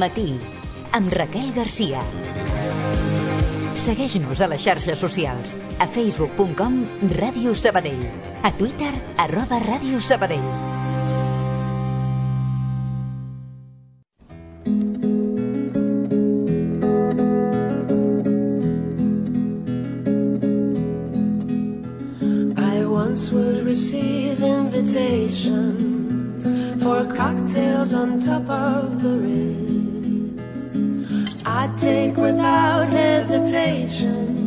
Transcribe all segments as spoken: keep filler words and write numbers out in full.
Matí, amb Raquel Garcia. Segueix-nos a les xarxes socials, a facebook punt com Ràdio Sabadell, a Twitter, arroba Ràdio Sabadell. I once would receive invitations for cocktails on top of the Ritz. I'd take without hesitation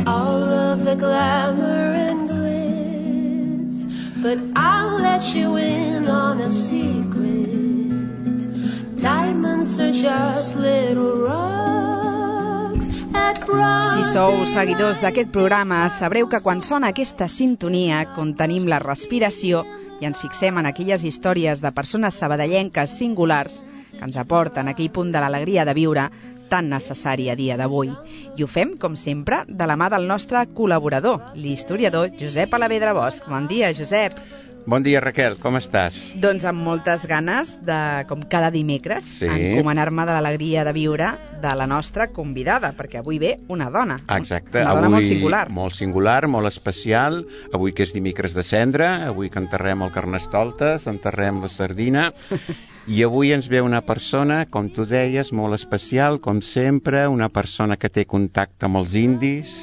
all of the glamour and glitz, but I'll let you in on a secret. Diamonds are just little rocks at Broadway. Si sou seguidors d'aquest programa, sabreu que quan sona aquesta sintonia contenim la respiració i ens fixem en aquelles històries de persones sabadellenques singulars que ens aporten aquell punt de l'alegria de viure tan necessari a dia d'avui. I ho fem, com sempre, de la mà del nostre col·laborador, l'historiador Josep Alavedra Bosch. Bon dia, Josep. Bon dia, Raquel, com estàs? Doncs amb moltes ganes de, com cada dimecres, sí, encomanar-me de l'alegria de viure de la nostra convidada, perquè avui ve una dona. Exacte, una dona avui molt singular. Molt singular, molt especial. Avui que és dimecres de cendra, avui que enterrem el Carnestoltes, enterrem la sardina, i avui ens ve una persona, com tu deies, molt especial, com sempre, una persona que té contacte amb els indis,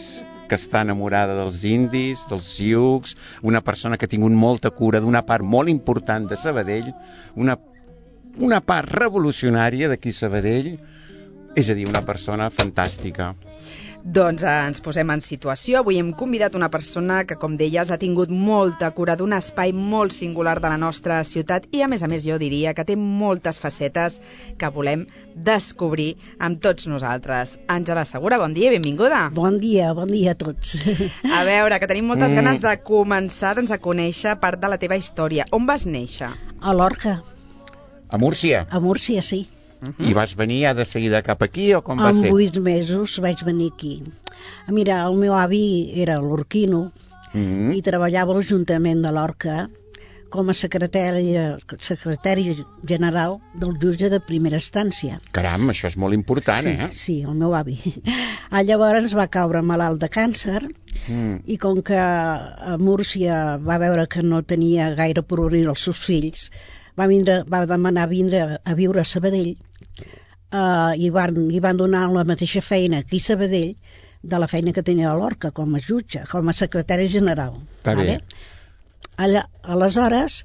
que està enamorada dels indis, dels sioux, una persona que ha tingut molta cura d'una part molt important de Sabadell, una, una part revolucionària d'aquí Sabadell, és a dir, una persona fantàstica. Doncs eh, ens posem en situació. Avui hem convidat una persona que, com deies, ha tingut molta cura d'un espai molt singular de la nostra ciutat i, a més a més, jo diria que té moltes facetes que volem descobrir amb tots nosaltres. Àngela Segura, bon dia i benvinguda. Bon dia, bon dia a tots. A veure, que tenim moltes Mm. ganes de començar doncs, a conèixer part de la teva història. On vas néixer? A Lorca, A Múrcia. a Múrcia, sí. I vas venir ja de seguida cap aquí o com va Amb ser? vuit mesos vaig venir aquí. Mira, el meu avi era lorquino Mm. i treballava a l'Ajuntament de Lorca com a secretari, secretari general del jutge de primera instància. Caram, això és molt important, sí, eh? Sí, el meu avi. Ah, llavors va caure malalt de càncer Mm. i com que a Múrcia va veure que no tenia gaire per obrir els seus fills, va, vindre, va demanar vindre a viure a Sabadell uh, i, van, i van donar la mateixa feina aquí a Sabadell de la feina que tenia a Lorca com a jutge, com a secretari general. Està bé. Allà, aleshores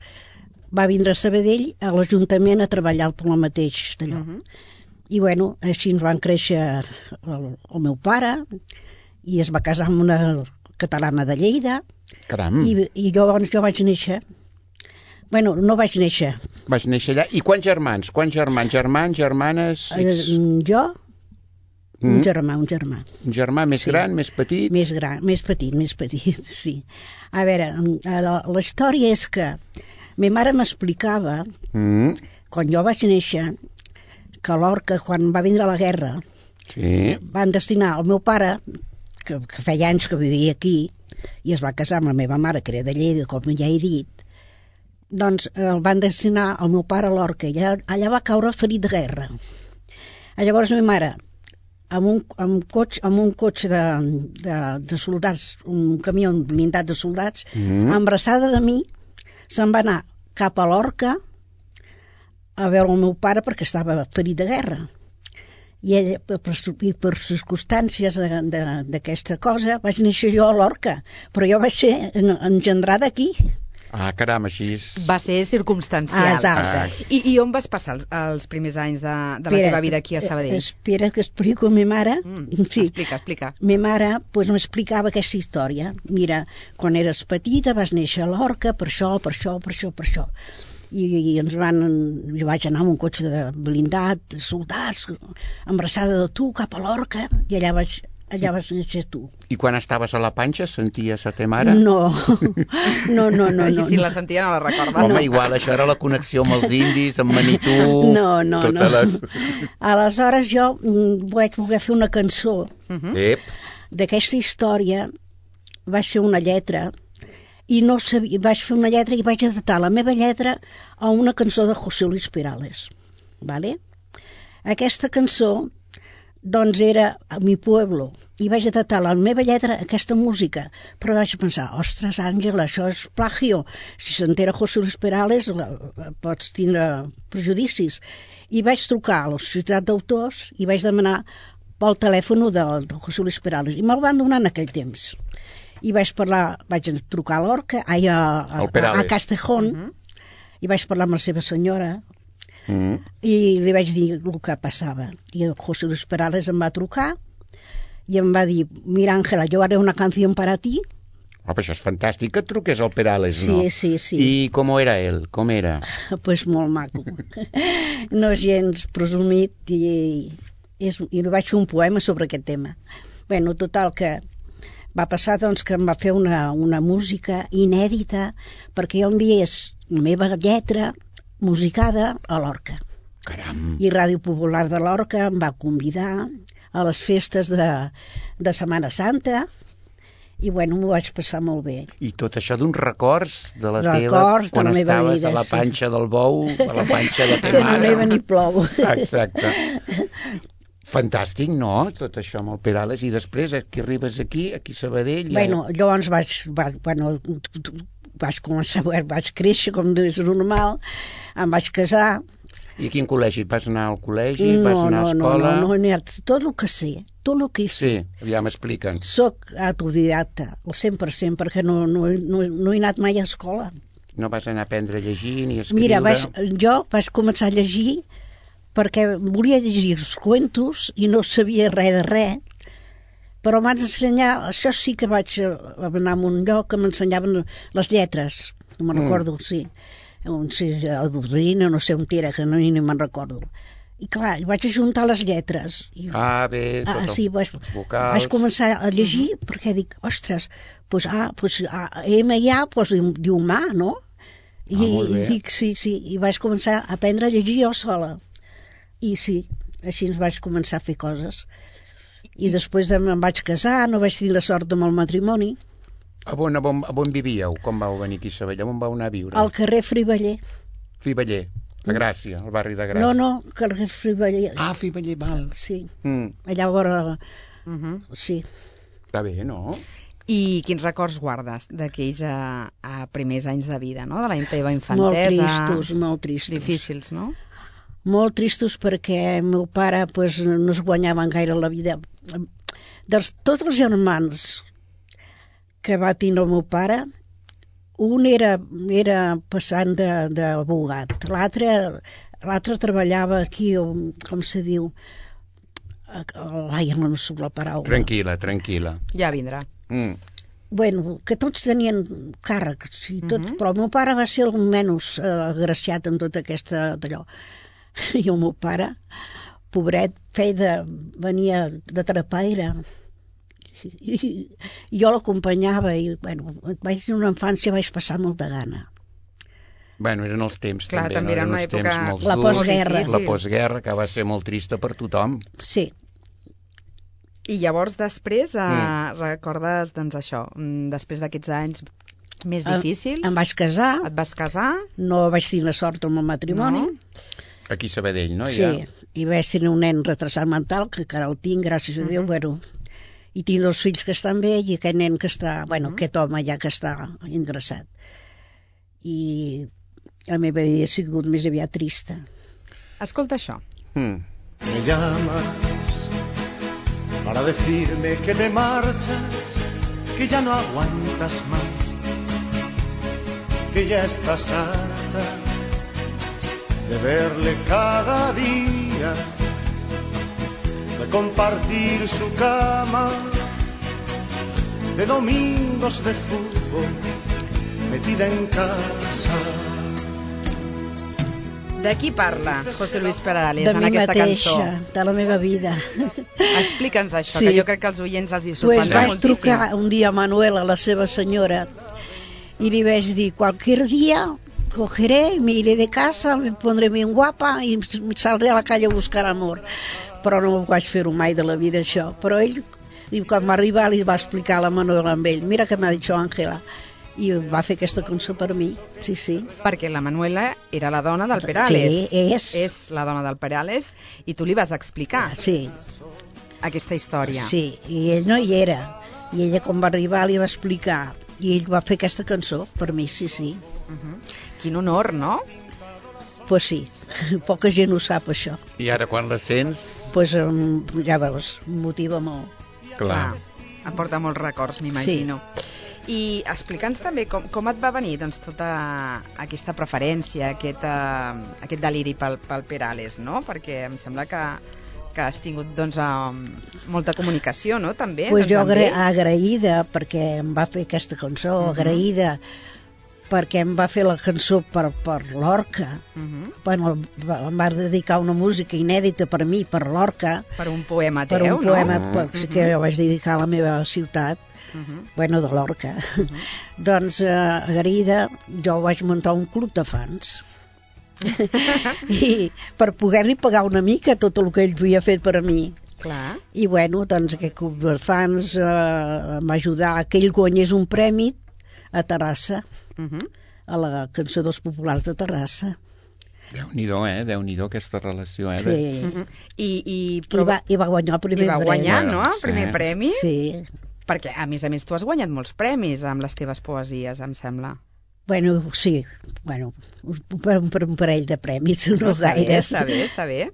va vindre a Sabadell a l'Ajuntament a treballar per el mateix d'allò. Uh -huh. I bueno, així ens van créixer el, el meu pare i es va casar amb una catalana de Lleida. Caram. I, i llavors jo vaig néixer. Bueno, no vaig néixer. Vas néixer allà. I quants germans? Quants germans? Germans, germanes? Eh, jo, Mm. un germà, un germà. Un germà més Sí. gran, més petit? Més gran, més petit, més petit, sí. A veure, la, la història és que ma mare m'explicava, Mm. quan jo vaig néixer, que a Lorca, quan va vindre la guerra, Sí. van destinar el meu pare, que, que feia anys que vivia aquí, i es va casar amb la meva mare, que era de Lleida, com ja he dit, doncs el van destinar el meu pare a Lorca, i allà, allà va caure ferit de guerra. Llavors ma mare, amb un, amb un cotxe, amb un cotxe de, de, de soldats, un camió blindat de soldats, Mm. embarassada de mi, se'n va anar cap a Lorca a veure el meu pare perquè estava ferit de guerra. I ella, per, per, per circumstàncies d'aquesta cosa, vaig néixer jo a Lorca, però jo vaig ser engendrada aquí. Ah, caram, així és... Va ser circumstancial. Ah, exacte. I, I on vas passar els, els primers anys de, de la Espera, teva vida aquí a Sabadell? Espera que explico a mi mare. Mm, Sí. Explica, explica. Ma mare pues, m'explicava aquesta història. Mira, quan eres petita vas néixer a Lorca, per això, per això, per això, per això. I, i ens van... Jo vaig anar amb un cotxe de blindat, de soldats, embarassada de tu, cap a Lorca, i allà vaig, allà vas néixer tu. I quan estaves a la panxa senties a te mare? No, no, no, no. I no si no. la sentia no la recorda. Home, igual, això era la connexió amb els indis, amb Manitou... No, no, totes no. Les... Aleshores jo mm, vaig voler fer una cançó Uh -huh. Ep, d'aquesta història, vaig fer una lletra i no sabia, vaig fer una lletra i vaig adaptar la meva lletra a una cançó de José Luis Perales, vale? Aquesta cançó doncs era a mi pueblo, i vaig detectar la meva lletra aquesta música, però vaig pensar, ostres, Àngela, això és plagio, si s'entera José Luis Perales la, pots tindre prejudicis. I vaig trucar a la societat d'autors i vaig demanar pel telèfon de, de José Luis Perales, i me'l van donar en aquell temps. I vaig parlar, vaig trucar a l'Orca, a, a, a, a Castejón, uh-huh. i vaig parlar amb la seva senyora, Mm. i li vaig dir el que passava, i el José Luis Perales em va trucar i em va dir, mira Àngela, jo haré una canció per a ti. Oh, però això és fantàstic que et truqués el Perales, sí, no? Sí, sí. I com era ell? Com era? Pues molt maco. No és gens presumit, i, és, i li vaig fer un poema sobre aquest tema. Bueno, total que va passar doncs, que em va fer una, una música inèdita perquè jo enviés la meva lletra musicada a l'Orca. Caram! I Ràdio Popular de l'Orca em va convidar a les festes de, de Setmana Santa i bueno, m'ho vaig passar molt bé. I tot això d'uns records de la records teva quan de la estaves vida, a la panxa sí. del bou, a la panxa de ta que mare. no neva ni plou. Exacte. Fantàstic, no?, tot això amb el Perales. I després, aquí arribes aquí, aquí a Sabadell... Bueno, ja... llavors vaig... vaig bueno, vaig començar, vaig créixer com és normal, em vaig casar. I a quin col·legi? Vas anar al col·legi? No, vas anar a escola? No, no, no, no, tot el que sé, tot el que sé. Sí, ja m'expliquen. Soc autodidacta, al cent per cent, perquè no, no, no, no he anat mai a escola. No vas anar a aprendre a llegir ni a escriure? Mira, vaig, jo vaig començar a llegir perquè volia llegir els cuentos i no sabia res de res, però m'han ensenyat, això sí que vaig anar a un lloc que m'ensenyaven les lletres, no me'n recordo, mm. sí, on, sí, a Dodrina, no sé on era, que no, ni me'n recordo. I clar, vaig ajuntar les lletres. I, ah, bé, tot ah, sí, vaig, els vocals. Vaig començar a llegir mm-hmm. perquè dic, ostres, pues, ah, pues, ah, M I A pues, diu humà, no? I, ah, i dic, sí, sí, i vaig començar a aprendre a llegir jo sola. I sí, així vaig començar a fer coses. I després em vaig casar, no vaig tenir la sort amb el matrimoni. A on, a on, a on vivíeu? Com vau venir aquí a Sabadell? On vau anar a viure? Al carrer Friballer. Friballer, a Gràcia, al barri de Gràcia. No, no, carrer Friballer. Ah, Friballer, val. Sí, mm. allà a vora... Uh -huh. Sí. Està bé, no? I quins records guardes d'aquells a, a primers anys de vida, no? De la teva infantesa? Molt tristos, molt tristos. Difícils, no? Molt tristos perquè el meu pare pues, no es guanyaven gaire la vida. Dels tots els germans que va tindre el meu pare, un era, era passant d'abogat, l'altre l'altre treballava aquí, com se diu, ai, no sóc la paraula. Tranquil·la, tranquil·la. Ja vindrà. Mm. Bueno, que tots tenien càrrecs i tot, uh-huh. però el meu pare va ser el menys eh, agraciat en tota aquesta d'allò. I el meu pare, pobret, feia de, venia de trapaire i, i jo l'acompanyava i, bueno, vaig tenir una infància, vaig passar molta gana. Bueno, eren els temps, clar, també, també no? Era una època... La postguerra. La postguerra, que va ser molt trista per tothom. Sí. I llavors després eh, mm. recordes, doncs això, després d'aquests anys més difícils... Em vaig casar. Et vas casar? No vaig tenir sort amb el matrimoni. No. Aquí a Sabadell, no? Sí, ja. I vaig tenir un nen retrasat mental, que encara el tinc, gràcies a Déu, uh-huh. bueno, i tinc dos fills que estan bé i aquest nen que està, bueno, uh-huh. aquest home ja que està ingressat. I la meva vida ha sigut més aviat trista. Escolta això. Mm. Me llamas para decirme que te marchas, que ya no aguantas más, que ya estás harta de verle cada día, de compartir su cama, de domingos de fútbol, metida en casa. De qui parla José Luis Perales de en aquesta mateixa, cançó? De la meva vida. Explica'ns això, sí. que jo crec que els oients els hi pues sorprendrà vaig moltíssim. Vaig trucar un dia a Manuela, la seva senyora, i li vaig dir, cualquier dia cogeré, me iré de casa, me pondré bien guapa i saldré a la calle a buscar amor. Però no vaig fer-ho mai de la vida, això. Però ell, quan va arribar, li va explicar a la Manuela amb ell, mira que m'ha dit Àngela, i va fer aquesta cançó per mi, sí, sí. Perquè la Manuela era la dona del Perales. Sí, és. És la dona del Perales, i tu li vas explicar Sí, aquesta història. sí, i ell no hi era. I ella, quan va arribar, li va explicar. I ell va fer aquesta cançó per mi, sí, sí. Uh -huh. Quin honor, no? Pues sí, poca gent ho sap, això. I ara quan la sents... Pues um, ja veus, em motiva molt. Clar. Et porta molts records, m'imagino. Sí. I explica'ns també com, com et va venir doncs, tota aquesta preferència, aquest, uh, aquest deliri pel, pel Perales, no? Perquè em sembla que, que has tingut doncs, um, molta comunicació, no? També. Pues doncs, jo amb agra ell. agraïda perquè em va fer aquesta cançó, uh -huh. agraïda perquè em va fer la cançó per, per l'Orca. Uh -huh. Bueno, em va dedicar una música inèdita per mi, per l'Orca, Per un poema teu, per un no? poema no? per, Uh -huh. que jo vaig dedicar a la meva ciutat, Uh -huh. bueno, de l'Orca. Uh -huh. Doncs, eh, agraïda, jo vaig muntar un club de fans. I per poder-li pagar una mica tot el que ell havia fet per a mi. Clar. I bueno, doncs aquest club de fans eh, m'ha ajudat que ell guanyés un premi a Terrassa, Uh -huh. a la Cançó dels Populars de Terrassa. Déu-n'hi-do, eh? Déu-n'hi-do aquesta relació, eh? Sí. De... Uh -huh. I, i, I, però... va, I va guanyar el primer I va premi. guanyar, premi. no? El Sí. primer premi. Sí. Perquè, a més a més, tu has guanyat molts premis amb les teves poesies, em sembla. Bueno, sí, bueno, per, per un parell de premis, no està bé, gaires. està bé, està bé.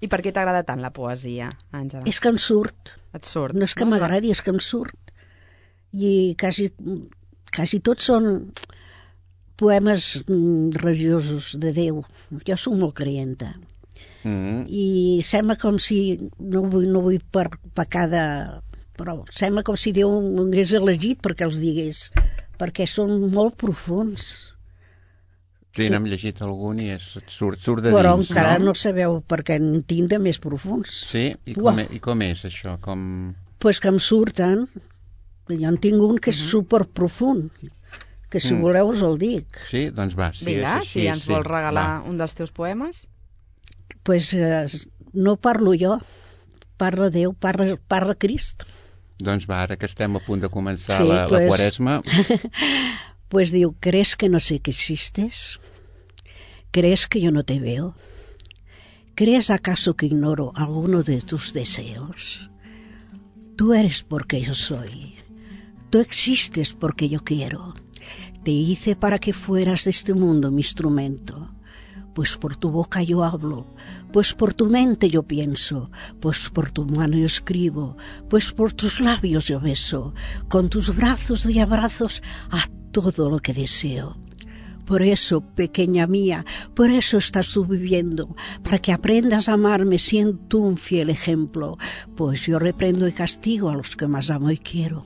I per què t'agrada tant la poesia, Àngela? És que em surt. Et surt. No és que m'agradi, és que em surt. I quasi, quasi tots són poemes mm, religiosos de Déu. Jo soc molt creienta. Mm. I sembla com si, no vull, no vull per pecar de... però sembla com si Déu m'hagués elegit perquè els digués, perquè són molt profuns. Sí, n'hem llegit algun i és, et surt, surt de Però dins, encara no? no sabeu perquè en tinc de més profuns. Sí? I Uah. com, e- I com és això? Com... Pues que em surten. Jo en tinc un que és superprofund, que si Mm. voleu us el dic. Sí? Doncs va, si Vinga, és així, si ens sí. vols regalar Va. un dels teus poemes. Pues eh, no parlo jo, parla Déu, parla, parla Crist. Doncs va, ara que estem a punt de començar Sí, la, pues- la quaresma... Pues diu, ¿crees que no sé que existes? ¿Crees que yo no te veo? ¿Crees acaso que ignoro alguno de tus deseos? Tú eres porque yo soy. Tú existes porque yo quiero. Te hice para que fueras de este mundo mi instrumento. Pues por tu boca yo hablo, pues por tu mente yo pienso, pues por tu mano yo escribo, pues por tus labios yo beso, con tus brazos doy abrazos a todo lo que deseo. Por eso, pequeña mía, por eso estás tú viviendo, para que aprendas a amarme siendo tú un fiel ejemplo, pues yo reprendo y castigo a los que más amo y quiero.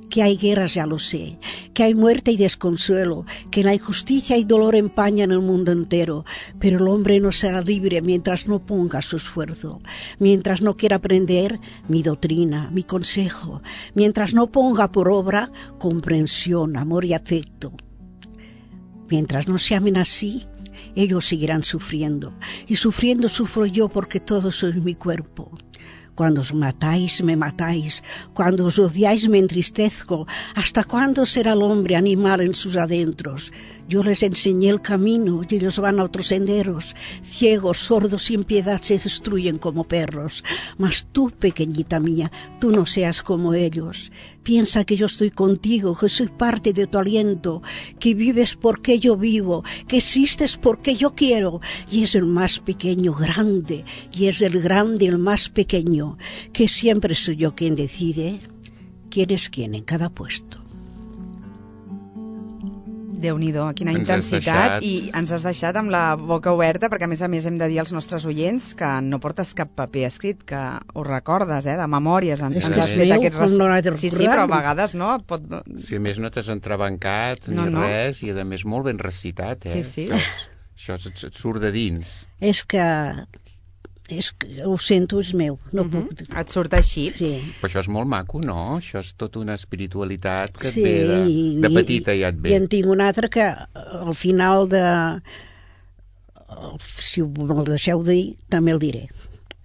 Que hay guerras ya lo sé, que hay muerte y desconsuelo, que la injusticia y dolor empañan el mundo entero, pero el hombre no será libre mientras no ponga su esfuerzo, mientras no quiera aprender mi doctrina, mi consejo, mientras no ponga por obra comprensión, amor y afecto. Mientras no se amen así, ellos seguirán sufriendo, y sufriendo sufro yo porque todos sois mi cuerpo. Cuando os matáis, me matáis. Cuando os odiáis, me entristezco. ¿Hasta cuándo será el hombre animal en sus adentros? Yo les enseñé el camino y ellos van a otros senderos. Ciegos, sordos, sin piedad se destruyen como perros. Mas tú, pequeñita mía, tú no seas como ellos. Piensa que yo estoy contigo, que soy parte de tu aliento, que vives porque yo vivo, que existes porque yo quiero. Y es el más pequeño grande, y es el grande el más pequeño, que siempre soy yo quien decide quién es quién en cada puesto. Déu-n'hi-do, quina Ens has intensitat, deixat. i ens has deixat amb la boca oberta, perquè a més a més hem de dir als nostres oients que no portes cap paper escrit, que ho recordes, eh, de memòries, en, És ens que has sí. fet Déu, aquest... com no l'ha de sí, sí, recordar. però a vegades no, pot... Si a més no t'has entrebancat No, ni no. res, i a més molt ben recitat, eh? Sí, sí. Això, això et, et surt de dins. És que, és que ho sento, és meu. No Uh -huh. puc... Et surt així. Sí. Però això és molt maco, no? Això és tota una espiritualitat que Sí, et ve de, i- de petita ja et I ve. en tinc un altre que al final de... Si me'l deixeu dir, també el diré.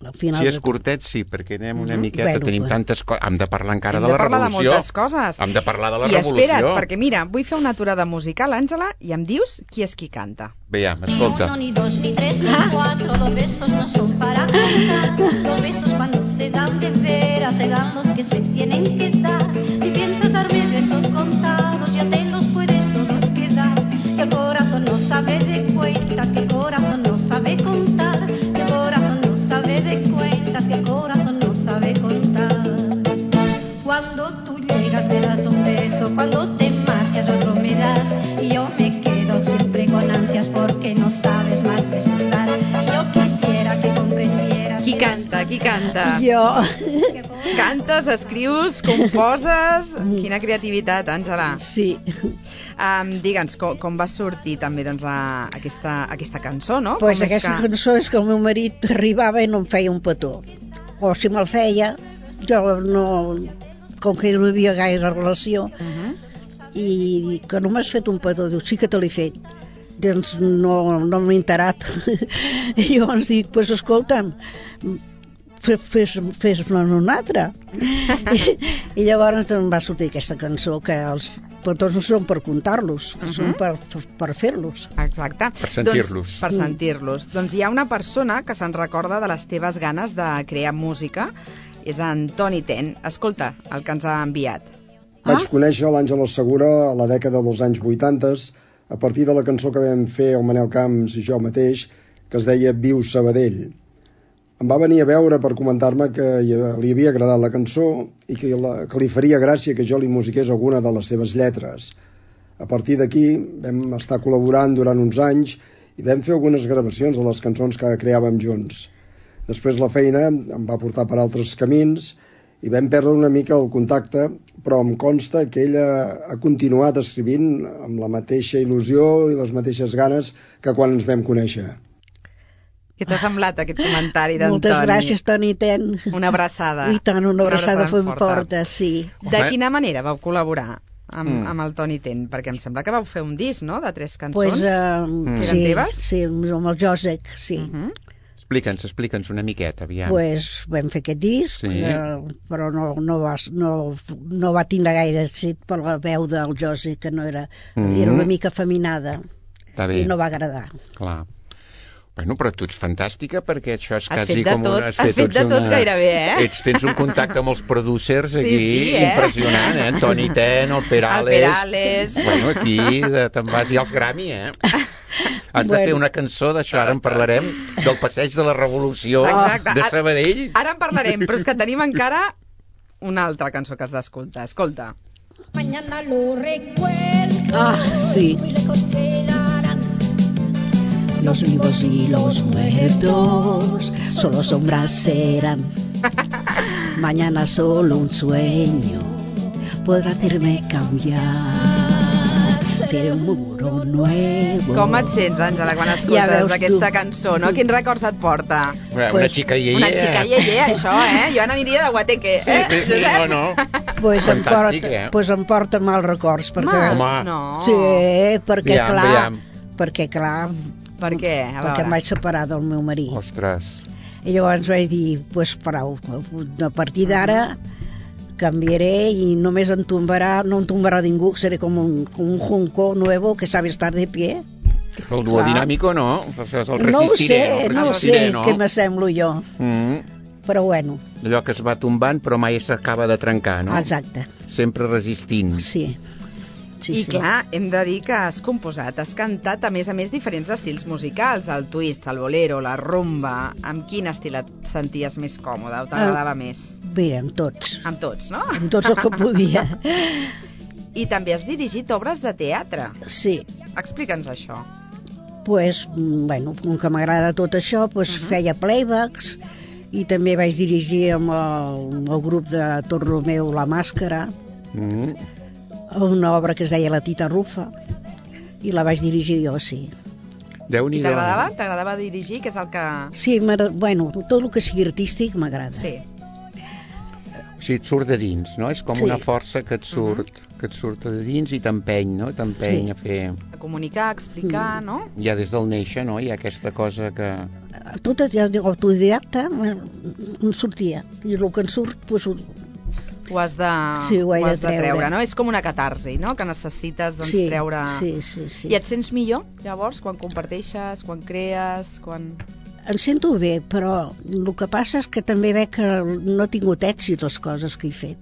al final... Si és curtet, sí, perquè anem una Mhm. miqueta, Bueno, tenim pues- tantes coses... Hem de parlar encara Hem de de la parlar de revolució. moltes coses. Hem de parlar de la I revolució. espera't, perquè mira, vull fer una aturada musical, Àngela, i em dius qui és qui canta. Veiem, escolta. Ni uno, ni dos, ni tres, ni cuatro, los besos no son para contar. Los besos cuando se dan de veras, se dan los que se tienen que dar. Si piensas darme besos contados, ya te los puedes todos quedar. Que el corazón no sabe de cuentas, que el corazón no sabe contar. Que el corazón no sabe de cuentas, que el corazón no sabe contar. Cuando tú llegas me das un beso, cuando te marchas otro me das. Y yo me quedo siempre con ansias porque no sabes más besos dar. Yo quisiera que comprendieras. Qui canta, qui canta? Jo... Cantes, escrius, composes... Quina creativitat, Àngela. Sí. Um, Digue'ns, com, com va sortir també doncs, la, aquesta, aquesta cançó, no? Pues com és aquesta que... cançó és que el meu marit arribava i no em feia un petó. O si me'l feia, jo no... Com que no hi havia gaire relació, Uh -huh. i que no m'has fet un petó, diu, sí que te l'he fet. Doncs no, no m'he enterat. I llavors dic, pues escolta'm, fes-me'n fes, fes un altre. I, I llavors em va sortir aquesta cançó, que els petons no són per comptar-los, uh -huh. són per, per, per fer-los. Exacte. Per sentir-los. Doncs, per sentir-los. Doncs hi ha una persona que se'n recorda de les teves ganes de crear música, és en Toni Ten. Escolta el que ens ha enviat. Vaig conèixer l'Àngela Segura a la dècada dels anys vuitanta a partir de la cançó que vam fer el Manel Camps i jo mateix, que es deia Viu Sabadell. Em va venir a veure per comentar-me que li havia agradat la cançó i que, la, que li faria gràcia que jo li musiqués alguna de les seves lletres. A partir d'aquí vam estar col·laborant durant uns anys i vam fer algunes gravacions de les cançons que creàvem junts. Després la feina em va portar per altres camins i vam perdre una mica el contacte, però em consta que ella ha continuat escrivint amb la mateixa il·lusió i les mateixes ganes que quan ens vam conèixer. Què t'ha semblat aquest comentari d'en Moltes Toni? gràcies, Toni Ten. Una abraçada. I tant, una abraçada, ben ben forta, sí. De Home. quina manera vau col·laborar amb, Mm. amb el Toni Ten? Perquè em sembla que vau fer un disc, no?, de tres cançons. Pues, uh, Mm. sí, Eren teves? sí, amb el Josec, sí. Uh -huh. Explica'ns, explica'ns una miqueta, aviam. Pues vam fer aquest disc, Sí. eh, però no, no, va, no, no va tindre gaire èxit per la veu del Josep, que no era, Mm. era una mica afeminada, Està bé, i no va agradar. clar. Bueno, però tu ets fantàstica perquè això és Has quasi fet de com tot, una... has fet ets de tot gairebé, eh? Ets, tens un contacte amb els producers aquí, Sí, sí, eh? impressionant, eh? Toni Ten, el Perales... El Perales. Bueno, aquí de- te'n vas i als Grammy, eh? Has de Bueno. fer una cançó d'això, ara en parlarem, del passeig de la Revolució Exacte. de Ara- Sabadell. Ara en parlarem, però és que tenim encara una altra cançó que has d'escoltar. Escolta. Mañana lo recuerdo. Ah, sí. Muy lejos quedarán. Los vivos y los muertos solo sombras serán. Mañana solo un sueño podrà hacerme cambiar. Seré un muro nuevo. Com et sents, Àngela, quan Ja escoltes veus aquesta tu. cançó, no? Quins records et porta? Una Pues, xica iaiea. Una xica iaiea, això, eh? Jo n'aniria de guateque, Sí, eh? sí, sí, Josep? no, no. Pues em, Fantàstic, porta, eh? pues em porta mals records, perquè... Mals? Home. No. Sí, perquè Veiem, clar, veiem. perquè clar, Per què? A perquè em veure. vaig separar del meu marit. Ostres. I llavors vaig dir, pues prou, a partir d'ara canviaré i només em tombarà, no em tombarà ningú, seré com un, com un junco nuevo que sabe estar de pie. El duo dinàmico, no? Això és el No ho resistiré. sé, el no ho resistiré, sé no? què m'assemblo jo, Mm. però bueno, Allò que es va tombant però mai s'acaba de trencar, no? exacte, Sempre resistint. sí. Sí, I sí. clar, hem de dir que has composat, has cantat, a més a més, diferents estils musicals, el twist, el bolero, la rumba. Amb quin estil et senties més còmode o t'agradava més? Mira, amb tots, Amb tots, no? amb tots el que podia. I també has dirigit obres de teatre. Sí, Explica'ns això. pues, mm, bueno, com que m'agrada tot això, pues Mhm. feia playbacks i també vaig dirigir amb el, amb el grup de Tot Romeu La Màscara, Mm. una obra que es deia La Tita Rufa, i la vaig dirigir jo, sí. I Déu-n'hi-do. t'agradava? T'agradava dirigir, que és el que... Sí, m'agrada- bueno, tot el que sigui artístic m'agrada. Sí. O sigui, et surt de dins, no? És com Sí. una força que et surt, uh-huh. que et surt de dins i t'empeny, no? T'empeny Sí. a fer... A comunicar, a explicar, no? Ja des del néixer, no? Hi ha aquesta cosa que... Tot ja dic, autodidacta em sortia. I el que en surt, doncs, ho- Ho has de, Sí, ho he ho de has de treure, treure. no? És com una catarsi, no? Que necessites doncs, sí, treure... sí, sí, sí. I et sents millor, llavors, quan comparteixes, quan crees, quan... Em sento bé, però el que passa és que també veig que no he tingut èxit les coses que he fet.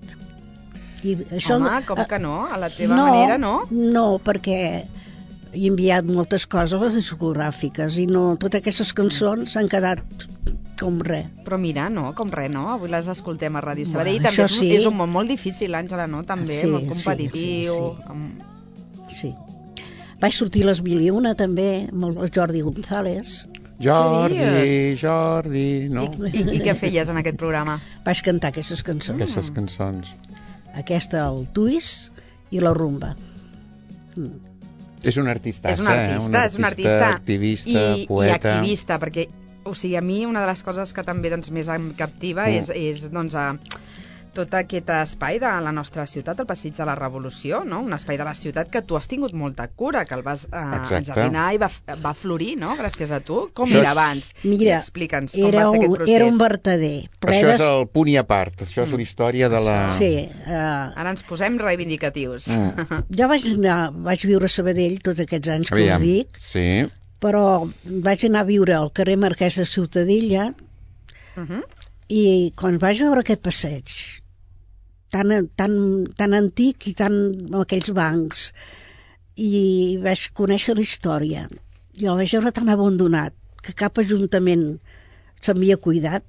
I Home, com que no? A la teva no, manera, no? No, perquè he enviat moltes coses a les discogràfiques i no, totes aquestes cançons s'han quedat com res. Però mira, no, com res, no? Avui les escoltem a Ràdio Sabadell. Bueno, També això és, sí. és un món molt difícil, Àngela, no? També, Sí, molt sí, competitiu. sí, sí. Amb... Sí. Vaig sortir a les mil i una també, amb el Jordi González. Jordi, dius? Jordi, no? I, i què feies en aquest programa? Vaig cantar aquestes cançons. Aquestes cançons. Aquesta, el twist i la rumba. Mm. És un artista, És un artista, és un artista. activista, I, poeta... I activista, perquè, o sigui, a mi una de les coses que també doncs, més em captiva Mm. és, és doncs, a, tot aquest espai de la nostra ciutat, el Passeig de la Revolució, no? Un espai de la ciutat que tu has tingut molta cura, que el vas eh, Exacte. enjardiner i va, va florir, no? Gràcies a tu. Com Això era és- abans? Mira, Explica'ns com era va ser un, aquest procés. era un vertader. ple Això és de- el punt i a part, això és la història de la... Sí, uh, Ara ens posem reivindicatius. Mm. jo vaig, anar, vaig viure a Sabadell tots aquests anys que Aviam. us dic, Sí, però vaig anar a viure al carrer Marquès de Ciutadella Uh -huh. i quan vaig veure aquest passeig tan, tan, tan antic i tan amb aquells bancs i vaig conèixer la història i el vaig veure tan abandonat que cap ajuntament s'havia cuidat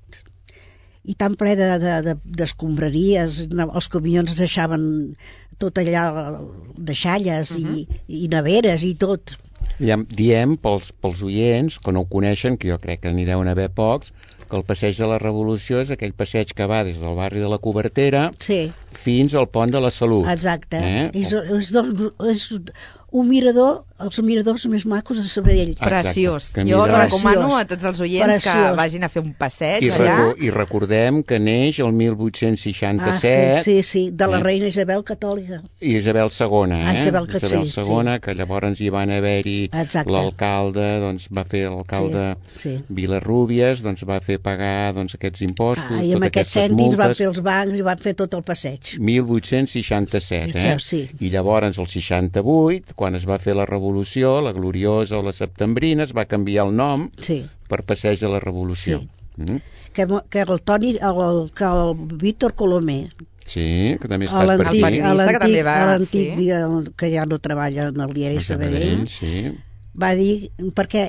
i tan ple de, de, de, d'escombraries, els camions deixaven tot allà, deixalles uh -huh. i, i neveres i tot. Diem, diem pels, pels oients que no ho coneixen, que jo crec que n'hi deuen haver pocs, que el Passeig de la Revolució és aquell passeig que va des del barri de la Cobertera Sí, fins al Pont de la Salut. exacte. Eh? És, és, dos- és un mirador, els miradors més macos de Sabadell. Exacte, Preciós. que Jo mira- recomano Preciós. a tots els oients que Preciós. vagin a fer un passeig I, allà. recu I recordem que neix el mil vuit-cents seixanta-set Ah, sí, sí, sí, de la eh? reina Isabel Catòlica. i Isabel segona, Ah, eh? Isabel que- Isabel sí, segona, que llavors hi van haver-hi Exacte. l'alcalde, doncs va fer l'alcalde Sí, sí. Vilarrúbies, doncs va fer pagar doncs, aquests impostos, Ah, I amb totes aquests aquestes cèntims van multes. fer els bancs i van fer tot el passeig. mil vuit-cents seixanta-set, eh? Sí. I llavors, el seixanta-vuit, quan es va fer la revolució, la gloriosa o la septembrina, es va canviar el nom Sí. per Passeig de la Revolució. Sí. Mm? Que, mo- que el Toni, el, que el Víctor Colomer, Sí, que també ha a estat per l'antic, aquí. periodista a que l'antic, també va, a l'antic sí. dia que ja no treballa en el diari A Sabadell, sí. va dir, perquè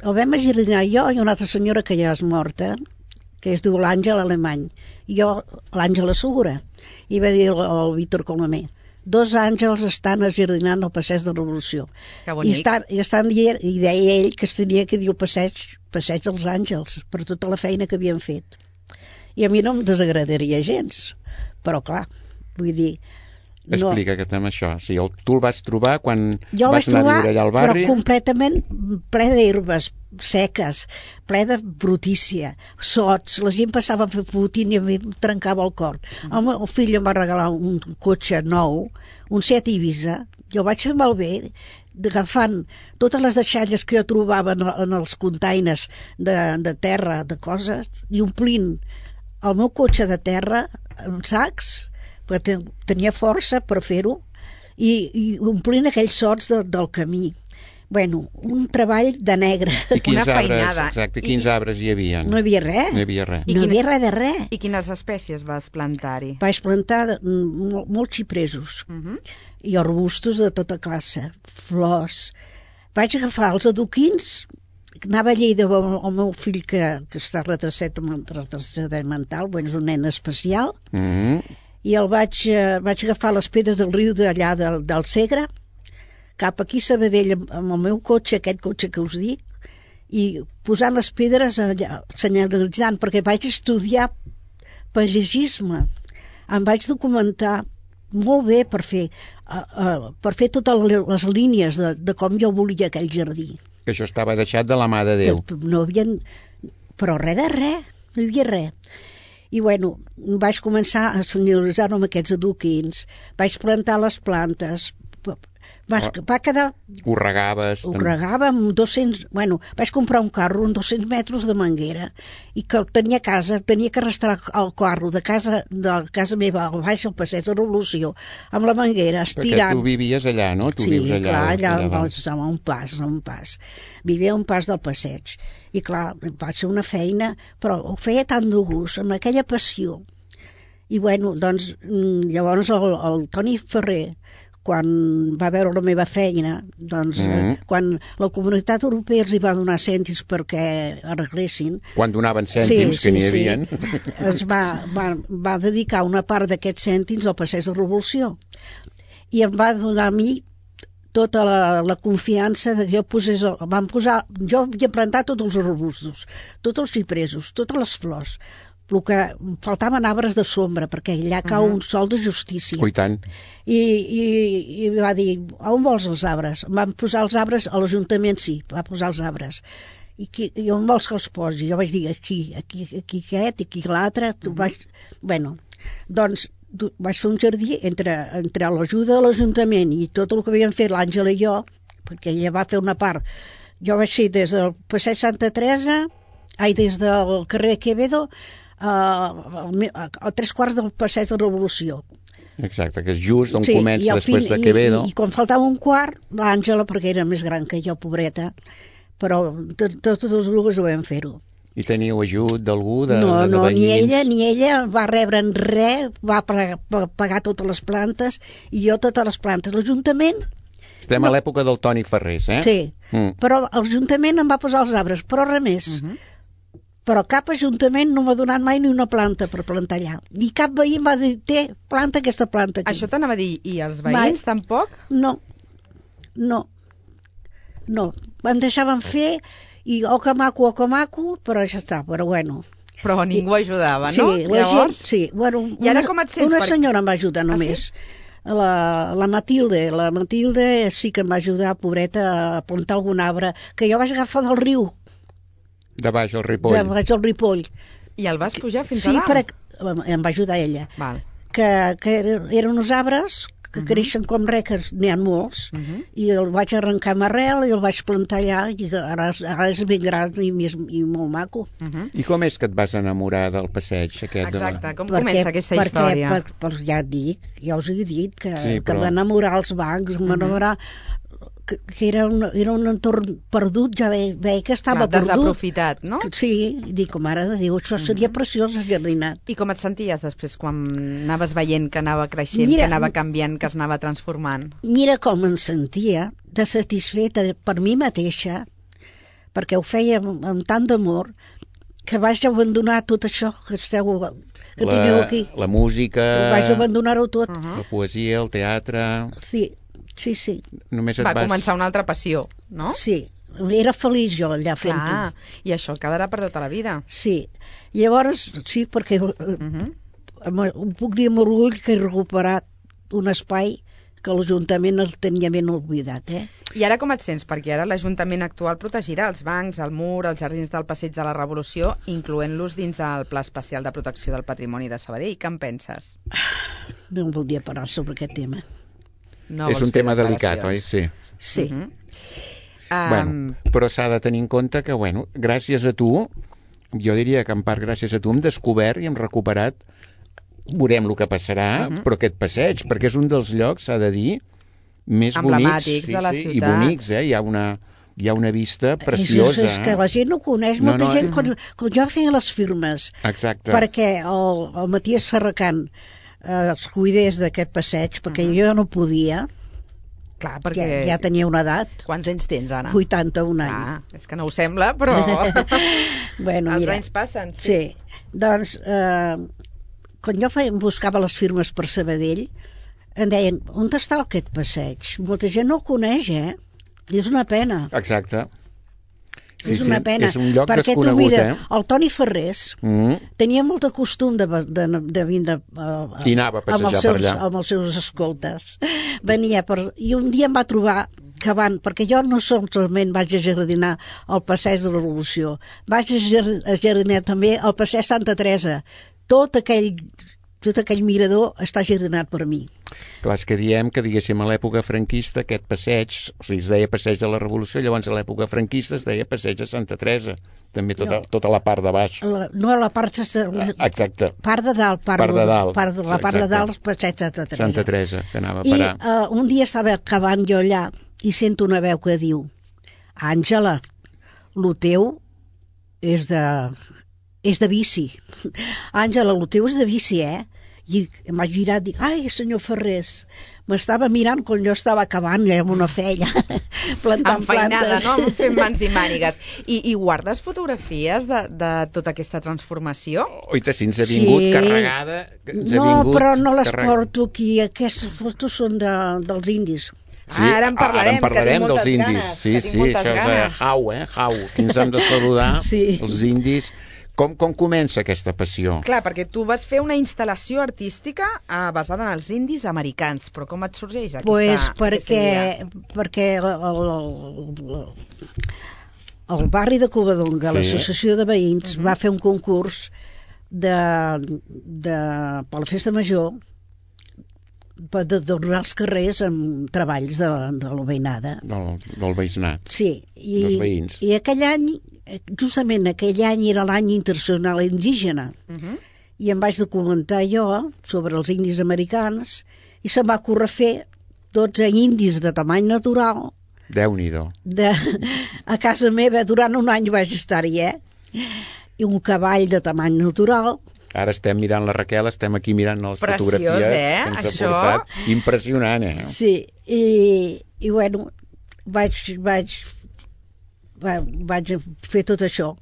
el vam agirar jo i una altra senyora que ja és morta, que es diu l'Àngel Alemany, i jo l'Àngela Segura, i va dir el, el Víctor Colomer, dos àngels estan ajardinant el passeig de la Revolució. Que I bonic. estan, i estan dient, i deia ell que es tenia que dir el passeig, passeig dels àngels, per tota la feina que havien fet. I a mi no em desagradaria gens, però clar, vull dir... No, Explica que estem això. Sí, el, tu el vas trobar quan jo el vas vaig anar trobar, a viure allà al barri? però completament ple d'herbes seques, ple de brutícia, sots, la gent passava fotent i a mi em trencava el cor. El meu fill em va regalar un cotxe nou, un Seat Ibiza, i el vaig fer malbé, agafant totes les deixalles que jo trobava en, en els containers de, de terra, de coses, i omplint el meu cotxe de terra amb sacs, perquè tenia força per fer-ho, i, i omplint aquells sots de, del camí. Bueno, un treball de negre. I quins Una arbres, feinada. exacte, I- quins arbres hi havia? No hi havia res. No hi havia res. I No hi quina- havia res de res. I quines espècies vas plantar-hi? Vaig plantar mm, mol- molts xipresos Uh -huh. i arbustos de tota classe, flors. Vaig agafar els adoquins, anava a Lleida amb el meu fill que, que està retrasat amb retraset mental, bueno, és un nen especial, Mm -hmm. i el vaig, eh, vaig agafar les pedres del riu d'allà del, del Segre, cap aquí a Sabadell amb, amb el meu cotxe, aquest cotxe que us dic, i posant les pedres allà, senyalitzant, perquè vaig estudiar pagegisme. Em vaig documentar molt bé per fer, uh, uh, per fer totes les línies de, de com jo volia aquell jardí. Que això estava deixat de la mà de Déu. No havien... Però res de res, no hi havia res. I, bueno, vaig començar a senyoritzar-me amb aquests adoquins, vaig plantar les plantes, va, va quedar... Ho regaves... Ho regava amb dos-cents... Bueno, vaig comprar un carro amb dos-cents metres de manguera i que tenia a casa, tenia que arrastrar el carro de casa, de casa meva al baix al passeig de Revolució amb la manguera, estirant... Perquè tu vivies allà, no? Tu sí, vius allà, clar, allà, allà allà a un pas, a un pas. Vivia a un pas del passeig. I clar, va ser una feina, però ho feia tant de gust, amb aquella passió. I bueno, doncs, llavors el, el Toni Ferrer, quan va veure la meva feina, doncs, mm-hmm. eh, quan la Comunitat Europea els hi va donar cèntims perquè arreglessin... Quan donaven cèntims, sí, que n'hi sí, havia. Sí. Ens va, va, va dedicar una part d'aquests cèntims al passeig de Revolució. I em va donar a mi tota la, la confiança de que jo posés... Vam posar, jo havia plantat tots els arbustos, tots els xipresos, totes les flors. El que faltaven arbres de sombra, perquè allà cau uh-huh. un sol de justícia. Oh, i tant. I, i, i va dir, on vols els arbres? Vam posar els arbres, a l'Ajuntament sí, va posar els arbres. I, qui, i on vols que els posi? Jo vaig dir, aquí, aquí, aquí aquest, aquí l'altre. Uh-huh. Vaig... Bueno, doncs vaig fer un jardí entre, entre l'ajuda de l'Ajuntament i tot el que havien fet l'Àngela i jo, perquè ella va fer una part. Jo vaig ser des del passeig Santa Teresa, ai, des del carrer Quevedo, a, a tres quarts del passeig de Revolució. Exacte, que és just on sí, comença després de Quevedo. I, i quan faltava un quart, l'Àngela, perquè era més gran que jo, pobreta, però totes les dues ho vam fer-ho. I teníeu ajut d'algú, de, no, de, de no, veïns? ni ella, ni ella va rebre en res, va pagar, pagar totes les plantes, i jo totes les plantes. L'Ajuntament... Estem no. a l'època del Toni Ferrés, eh? Sí, mm. però l'Ajuntament em va posar els arbres, però res més. Uh-huh. Però cap ajuntament no m'ha donat mai ni una planta per plantar allà. Ni cap veí em va dir, té, planta aquesta planta aquí. Això t'anava a dir, i els veïns mai. Tampoc? No, no, no. Em deixaven fer, i o que maco, o que maco, però ja està, però bueno. Però ningú ajudava, sí, no? La Llavors... gent, sí, bueno, I ara una, com et sents? Una per... senyora em va ajudar només. Ah, sí? La, la Matilde, la Matilde sí que em va ajudar, pobreta, a plantar algun arbre, que jo vaig agafar del riu. De baix al Ripoll. De baix al Ripoll. I el vas pujar fins sí, a dalt? Sí, per... em va ajudar ella. Val. Que, que eren uns arbres que uh-huh. creixen com reques, n'hi ha molts, uh-huh. i el vaig arrencar amb arrel i el vaig plantar allà, i ara, ara és ben gran i, i, i molt maco. Uh-huh. I com és que et vas enamorar del passeig aquest? Exacte, de... com perquè, comença aquesta perquè, història? Per, per, ja et dic, ja us he dit que, sí, però... que m'enamorar als bancs, uh-huh. m'enamorar... Que, que era, un, era un entorn perdut, ja veia, veia que estava Clar, perdut. Desaprofitat, no? Sí, dic, mare de Déu, això seria uh-huh. preciós jardinat. I com et senties després quan anaves veient que anava creixent, mira, que anava canviant, que es anava transformant? Mira com em sentia, de satisfeta per mi mateixa, perquè ho feia amb, amb tant d'amor, que vaig abandonar tot això que esteu... que la, teniu aquí. La música... Vaig abandonar-ho tot. Uh-huh. La poesia, el teatre... Sí. Sí, sí. Només et Va vas... començar una altra passió, no? Sí, era feliç jo allà fent-ho. Clar, i això quedarà per tota la vida. Sí, llavors, sí, perquè uh-huh. em puc dir amb orgull que he recuperat un espai que l'Ajuntament el tenia ben oblidat, eh? I ara com et sents? Perquè ara l'Ajuntament actual protegirà els bancs, el mur, els jardins del Passeig de la Revolució, incloent-los dins del Pla Especial de Protecció del Patrimoni de Sabadell. Què en penses? No em voldria parlar sobre aquest tema. No és un tema delicat, oi? Sí. Sí. Uh-huh. Bueno, um... però s'ha de tenir en compte que, bueno, gràcies a tu, jo diria que en part gràcies a tu hem descobert i hem recuperat, veurem el que passarà, uh-huh. però aquest passeig, perquè és un dels llocs, s'ha de dir, més emblemàtics bonics, de la sí, ciutat. I bonics, eh? Hi ha una... Hi ha una vista preciosa. És, és que la gent no coneix, no, molta no, gent, eh? quan, quan jo feia les firmes, exacte. perquè el, el Matías Serracant eh, els cuidés d'aquest passeig, perquè uh-huh. jo no podia. Clar, perquè... Ja, ja tenia una edat. Quants anys tens, Anna? vuitanta-un anys. Ah, és que no ho sembla, però... bueno, els mira, anys passen, sí. Sí, doncs, eh, quan jo feia, buscava les firmes per Sabadell, em deien, on està aquest passeig? Molta gent no el coneix, eh? I és una pena. Exacte. Sí, és una sí, pena, és un lloc perquè tu desconegut, mira, eh? el Toni Ferrés mm. tenia molt de costum de, de, de vindre uh, i anava a passejar amb els seus, per allà amb els seus escoltes. Venia per... I un dia em va trobar que van, perquè jo no solament vaig a jardinar al passeig de la Revolució, vaig a jardinar també al passeig Santa Teresa. tot aquell, tot aquell mirador està jardinat per mi. Clar, és que diem que, diguéssim, a l'època franquista aquest passeig, o sigui, es deia passeig de la Revolució, llavors a l'època franquista es deia passeig de Santa Teresa, també tota, No. tota la part de baix. La, no, la part, la, Exacte. part de dalt, part, Part de dalt. part de, la part de Exacte. dalt, passeig de Santa Teresa. Santa Teresa, que anava a I parar. uh, un dia estava acabant jo allà i sento una veu que diu: Àngela, lo teu és de, és de vici. Àngela, lo teu és de vici, eh? I em vaig girar i dic: ai, senyor Ferrés, m'estava mirant quan jo estava acabant eh, amb una feina, plantant Enfeinada, plantes. no? Fent mans i mànigues. I, i guardes fotografies de, de tota aquesta transformació? Oita, si ens ha vingut Sí. carregada... Ens ha No, vingut però no les carreg- porto aquí. Aquestes fotos són de, dels indis. Sí, Ah, ara en parlarem, ara en parlarem que tinc dels moltes indis. ganes, sí, que tinc sí, moltes això ganes. és eh, jau, eh, jau. Aquí ens hem de saludar, Sí. els indis. Com, com comença aquesta passió? Clar, perquè tu vas fer una instal·lació artística eh, basada en els indis americans, però com et sorgeix aquesta, Pues aquesta idea? perquè, perquè el, el, el, el barri de Covadonga, Sí. l'associació de veïns, Mhm. va fer un concurs de, de, per la festa major per de donar els carrers amb treballs de, de la veïnada. Del, del veïnat. Sí, i, Dels veïns. i aquell any, justament aquell any era l'any internacional indígena, Mhm. i em vaig documentar jo sobre els indis americans i se'm va ocórrer fer dotze indis de tamany natural Déu-n'hi-do. de, a casa meva. Durant un any vaig estar-hi, eh? I un cavall de tamany natural. Ara estem mirant la Raquel, estem aquí mirant les Preciós, fotografies eh, que ens això? ha portat. Impressionant, eh? Sí, i, i bueno, vaig, vaig, va, vaig fer tot això.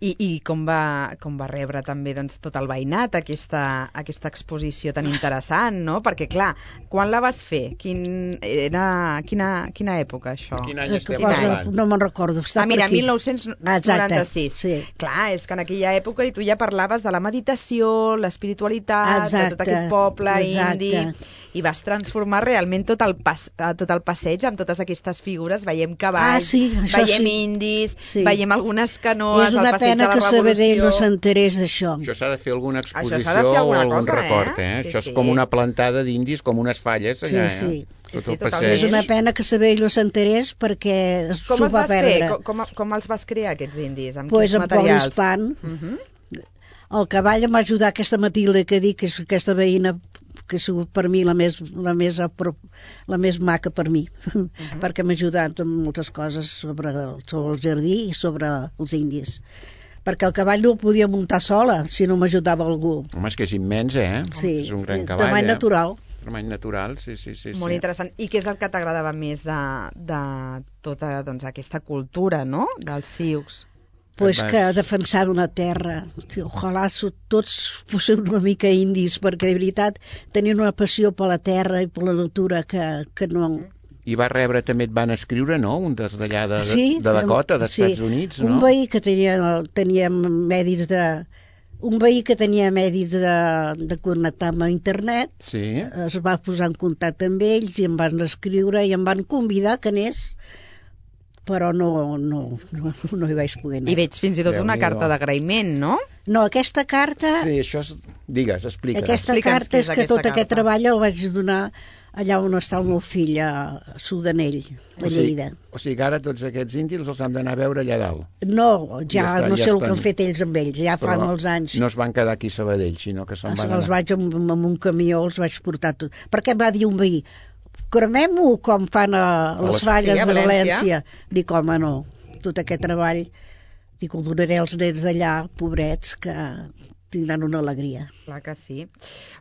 I, i com, va, com va rebre també doncs, tot el veïnat aquesta, aquesta exposició tan interessant, no? Perquè, clar, quan la vas fer? Quin, era, quina, quina època, això? Quin any Eh, estem que posa- parlant? no me'n recordo. Està Ah, mira, per aquí. mil nou-cents noranta-sis. Exacte, sí. Clar, és que en aquella època i tu ja parlaves de la meditació, l'espiritualitat, de tot Exacte, aquest poble exacte. indi, i vas transformar realment tot el, pas, eh, tot el passeig amb totes aquestes figures. Veiem cavalls, Ah, sí, això veiem sí. indis, Sí. veiem algunes canoes, És al una passeig pena de la que Revolució. Sabadell no s'enterés d'això. Això s'ha de fer alguna Això exposició s'ha de fer o alguna algun cosa, record, eh? eh? Sí, Això sí. és com una plantada d'indis, com unes falles Sí, allà, sí. eh? Sí, Tot sí, el totalment. passeig. És una pena que Sabadell no s'enterés perquè Com s'ho els va vas fer? perdre. Com, com, com els vas crear, aquests indis? Amb Pues quins amb materials? polispan. Mhm. El cavall em va ajudar aquesta Matilde que dic, que és aquesta veïna que ha sigut per mi la més, la més, apro- la més maca per mi, perquè m'ha ajudat en moltes coses sobre el, sobre el jardí i sobre els indis. Perquè el cavall no el podia muntar sola si no m'ajudava algú. Home, és que és immens, eh? Sí, És un gran cavall, tamany eh? natural. Tamany natural, sí, sí, sí. Molt sí. interessant. I què és el que t'agradava més de, de tota doncs, aquesta cultura, no?, dels sioux? Pues Vas- que defensar una terra. Sí, ojalà so- tots fóssim una mica indis, perquè de veritat tenien una passió per la terra i per la natura que, que no... I va rebre, també et van escriure, no?, un des d'allà de, Sí, de Dakota, dels sí. Estats Units, no? Un veí que tenia, tenia medis de... Un veí que tenia medis de, de connectar amb internet, Sí, es va posar en contacte amb ells i em van escriure i em van convidar que anés, però no, no, no, no hi vaig poder anar. I veig fins i tot una Déu-n'hi-do. carta d'agraïment, no? No, aquesta carta... sí, això és... Digues, explica. Aquesta Explica'ns carta què és és que aquesta tot aquest carta. treball el vaig donar allà on està el meu fill, a Sudanell, a O sigui, Lleida. o sigui que ara tots aquests indis els han d'anar a veure allà dalt. No, Ja ja, estan, no ja sé el estan. que han fet ells amb ells, ja fa Però molts anys. No es van quedar aquí a Sabadell, sinó que se'n Els, van els anar. vaig amb, amb un camió, els vaig portar tot. Perquè em va dir un veí, cremem-ho com fan a, a les les- falles Sí, a de València. València. Dic, home, no, tot aquest treball, dic, ho donaré als nens d'allà, pobrets, que tindran una alegria. Clar que sí.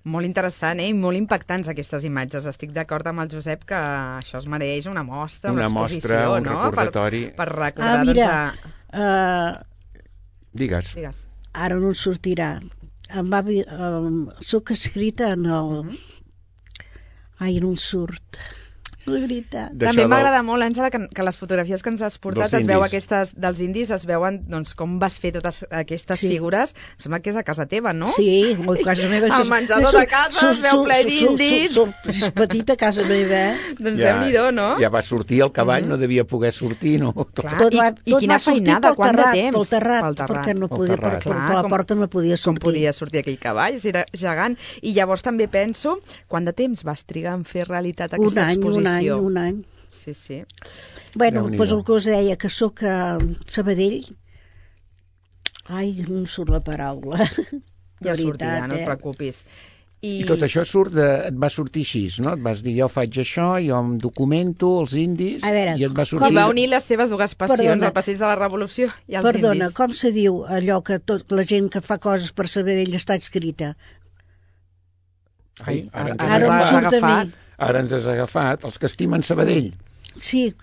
Molt interessant, eh? I molt impactants aquestes imatges. Estic d'acord amb el Josep que això es mereix una mostra, una, Una exposició, mostra, un no? recordatori. Per, per recordar, Ah, mira, doncs, uh, Digues. a... Digues. ara no en sortirà. Em va, vi- um, soc escrita en el... Ai, no en surt. La veritat. També m'agrada del... molt, Àngela, que, que les fotografies que ens has portat dels es veu indis. aquestes, dels indis, es veuen doncs, com vas fer totes aquestes Sí. figures. Em sembla que és a casa teva, no? Sí, a casa meva. El menjador de casa es veu ple d'indis. És petita casa meva, eh? Doncs Déu-n'hi-do, no? Ja va sortir el cavall, no devia poder sortir, no? Clar, Tot i, va- i tot quina va sortir feinada, pel quant de terrat, temps? pel terrat, Pel terrat. perquè no Pel podia, terrat. perquè Clar, per la com- porta no podia Com sortir. podia sortir aquell cavall, si era gegant. I llavors també penso, quant de temps vas trigar en fer realitat Un aquesta any, un any, exposició? un any. Sí, sí. Bueno, Déu-n'hi-do. doncs el que us deia, que sóc a Sabadell. Ai, no em surt la paraula. Ja De sortirà, veritat, no et eh? preocupis. I, I tot això surt de, et va sortir així, no? Et vas dir, jo faig això, jo em documento, els indis, A veure, i et va I sortir... va unir les seves dues passions, Perdona. el passeig de la Revolució i els Perdona, indis. com se diu allò que tot la gent que fa coses per Sabadell està escrita? Ai, ara, ens Ara has em agafat. surt a mi. Ara ens has agafat, els que estimen Sabadell. Sí,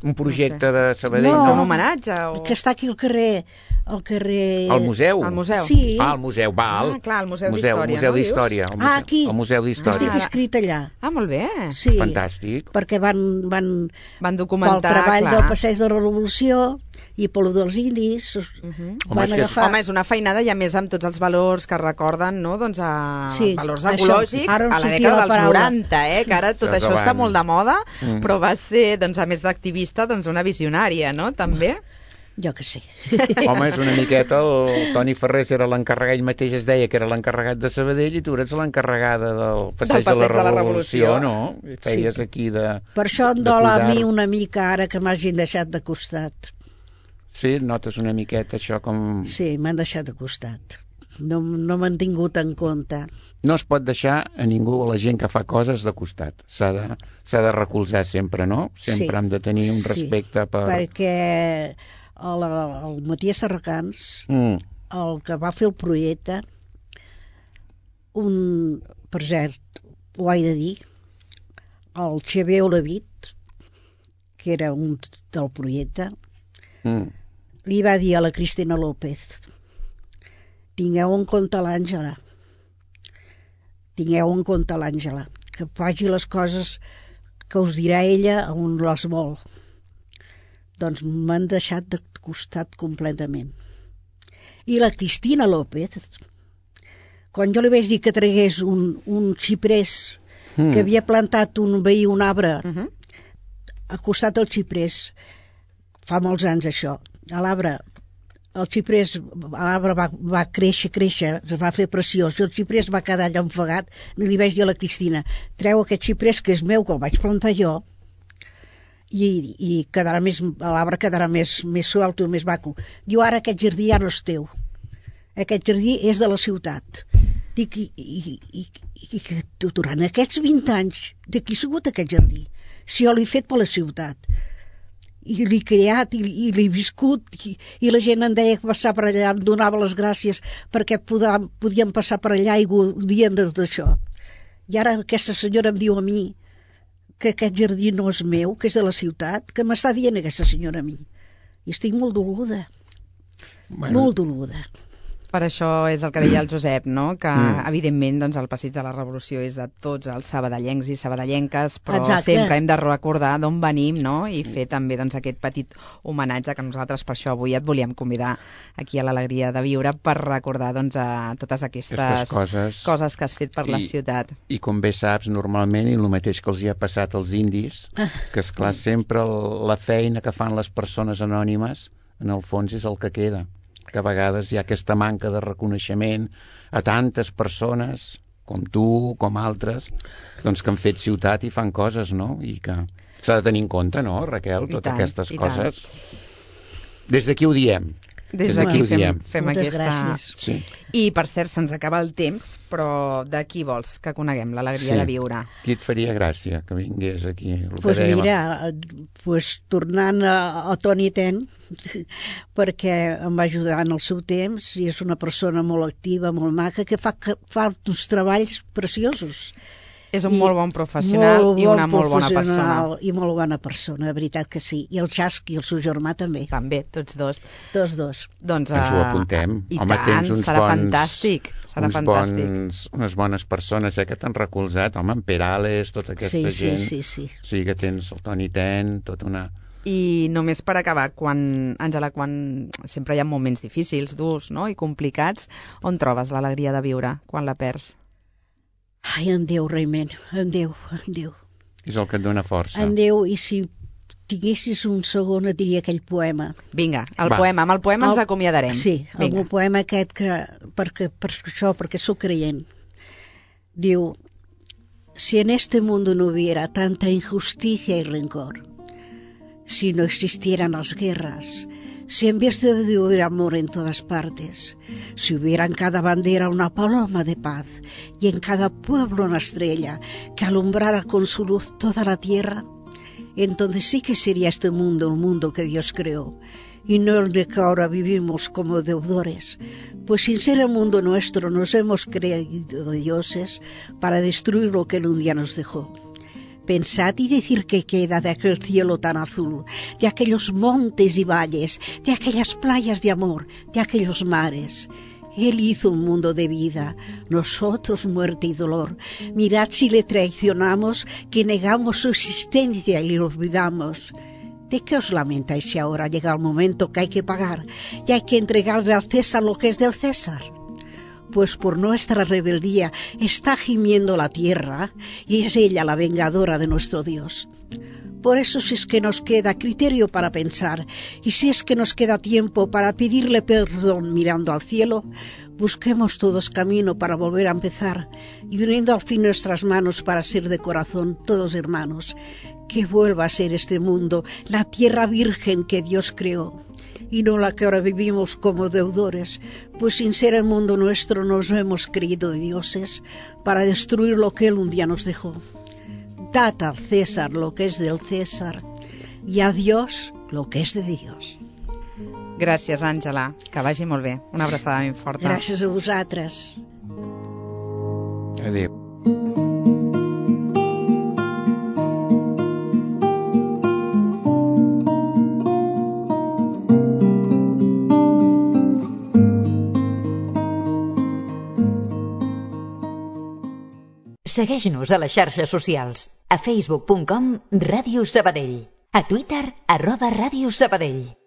Un projecte de Sabadell, No. Un no? homenatge o... que està aquí al carrer, al carrer... Al museu? Al museu. Sí. Ah, al museu, val. Ah, clar, el Museu museu d'Història, museu no, dius? d'Història. el Ah, museu- aquí. El Museu Estic d'Història. ara- escrit allà. Ah, molt bé. Sí, Fantàstic. perquè van, van Van pel documentar, treball clar. del passeig de la Revolució i pel dels indis, Uh -huh. Home, van és que és- agafar... Home, és una feinada i a més amb tots els valors que recorden, no? Doncs a Sí, valors això. ecològics Ara em a la sortia dècada la dels paraula. noranta, eh? Que ara tot Estàs això està davant. molt de moda, Mm. però va ser, doncs, a més d'activista, doncs una visionària, no? També. Jo que sé. Home, és una miqueta, el Toni Ferrés era l'encarregat, ell mateix es deia que era l'encarregat de Sabadell i tu eres l'encarregada del Passeig, Passeig de, de la la Revolució, Revolució. no? I feies Sí. aquí de... Per això em de dol a cuidar. mi una mica ara que m'hagin deixat de costat. Sí, notes una miqueta això com... Sí, m'han deixat de costat. No, no m'han tingut en compte. No es pot deixar a ningú, a la gent que fa coses, de costat. S'ha de, s'ha de recolzar sempre, no? Sempre Sí. hem de tenir un Sí. respecte per... Perquè el, el Matías Serracans, Mm. el que va fer el projecte, un, per cert, ho he de dir, el Xavier Olavit, que era un del projecte, Mm. li va dir a la Cristina López: tingueu en compte l'Àngela, tingueu en compte l'Àngela, que faci les coses que us dirà ella on les vol. Doncs m'han deixat de costat completament. I la Cristina López, quan jo li vaig dir que tragués un, un xiprés Mm. que havia plantat un veí, un arbre, Uh -huh. al costat del xiprés, fa molts anys això, a l'arbre, el xiprés, l'arbre va, va créixer, créixer, es va fer preciós, i el xiprés va quedar allà ofegat, i li vaig dir a la Cristina: treu aquest xiprés que és meu, que el vaig plantar jo, i, i quedarà més, l'arbre quedarà més, més suelto, més maco. Diu: ara aquest jardí ja no és teu, aquest jardí és de la ciutat. Dic, i, i, i, i que durant aquests vint anys, de qui ha sigut aquest jardí? Si jo l'he fet per la ciutat, i l'he creat, i, i l'he viscut, i, i la gent em deia que passar per allà, em donava les gràcies perquè podam, podíem passar per allà i gaudien de tot això. I ara aquesta senyora em diu a mi que aquest jardí no és meu, que és de la ciutat, que m'està dient aquesta senyora a mi. I estic molt doluda, Bueno, molt doluda. Per això és el que deia el Josep, no? Que, Mm. evidentment, doncs, el Passeig de la Revolució és de tots els sabadellencs i sabadellenques, però Exacte. sempre hem de recordar d'on venim, no? I fer també, doncs, aquest petit homenatge que nosaltres, per això, avui et volíem convidar aquí a l'Alegria de Viure per recordar, doncs, a totes aquestes, Aquestes coses. coses que has fet per la I- ciutat. I com bé saps, normalment, i el mateix que els hi ha passat als indis, que esclar, sempre el, la feina que fan les persones anònimes, en el fons és el que queda. Que a vegades hi ha aquesta manca de reconeixement a tantes persones, com tu, com altres, doncs que han fet ciutat i fan coses, no? I que s'ha de tenir en compte, no, Raquel, I totes tant, aquestes i tant. coses. Des d'aquí ho diem. Des Des d'aquí d'aquí ho fem, diem. fem Moltes aquesta... gràcies. Sí. I, per cert, se'ns acaba el temps, però de qui vols que coneguem l'alegria Sí. de viure? Qui et faria gràcia que vingués aquí? El que Pues dèiem. mira, eh, pues tornant a, a Toni Ten, perquè em va ajudar en el seu temps i és una persona molt activa, molt maca, que fa, que fa uns treballs preciosos. És un I molt bon professional molt i una bon molt bona persona. professional I molt bona persona, de veritat que sí. I el Jasqui, el seu germà, també. També, tots dos. Tots dos. Doncs, Ens ho uh, apuntem. I Home, tant, tens uns serà bons, fantàstic. Serà uns fantàstic. Bons, unes bones persones eh, que t'han recolzat. Home, en Perales, tota aquesta sí, gent. Sí, sí, sí. Sí, que tens el Toni Ten, tota una... I només per acabar, quan, Àngela, quan sempre hi ha moments difícils, durs, no?, i complicats, on trobes l'alegria de viure quan la perds? Ai, en Déu, realment, en Déu, en Déu. És el que et dona força. En Déu, i si tinguessis un segon et diria aquell poema. Vinga, el Va. poema, amb el poema el, ens acomiadarem. Sí, Vinga. el poema aquest que, perquè, per això, perquè sóc creient. Diu, si en este mundo no hubiera tanta injusticia y rencor, si no existieran las guerras, si en vez de odio hubiera amor en todas partes, si hubiera en cada bandera una paloma de paz y en cada pueblo una estrella que alumbrara con su luz toda la tierra, entonces sí que sería este mundo el mundo que Dios creó, y no el de que ahora vivimos como deudores, pues sin ser el mundo nuestro nos hemos creído dioses para destruir lo que Él un día nos dejó. Pensad y decir qué queda de aquel cielo tan azul, de aquellos montes y valles, de aquellas playas de amor, de aquellos mares. Él hizo un mundo de vida, nosotros muerte y dolor. Mirad si le traicionamos, que negamos su existencia y le olvidamos. ¿De qué os lamentáis si ahora llega el momento que hay que pagar y hay que entregarle al César lo que es del César? Pues por nuestra rebeldía está gimiendo la tierra y es ella la vengadora de nuestro Dios. Por eso, si es que nos queda criterio para pensar y si es que nos queda tiempo para pedirle perdón mirando al cielo, busquemos todos camino para volver a empezar y uniendo al fin nuestras manos para ser de corazón todos hermanos. Que vuelva a ser este mundo la tierra virgen que Dios creó y no la que ahora vivimos como deudores, pues sin ser el mundo nuestro nos hemos creído dioses para destruir lo que Él un día nos dejó. Dad al César lo que es del César y a Dios lo que es de Dios. Gràcies, Àngela. Que vagi molt bé. Una abraçada ben forta. Gràcies a vosaltres. Adéu. Segueix-nos a les xarxes socials. A facebook punt com Ràdio Sabadell. A Twitter, arroba Ràdio Sabadell.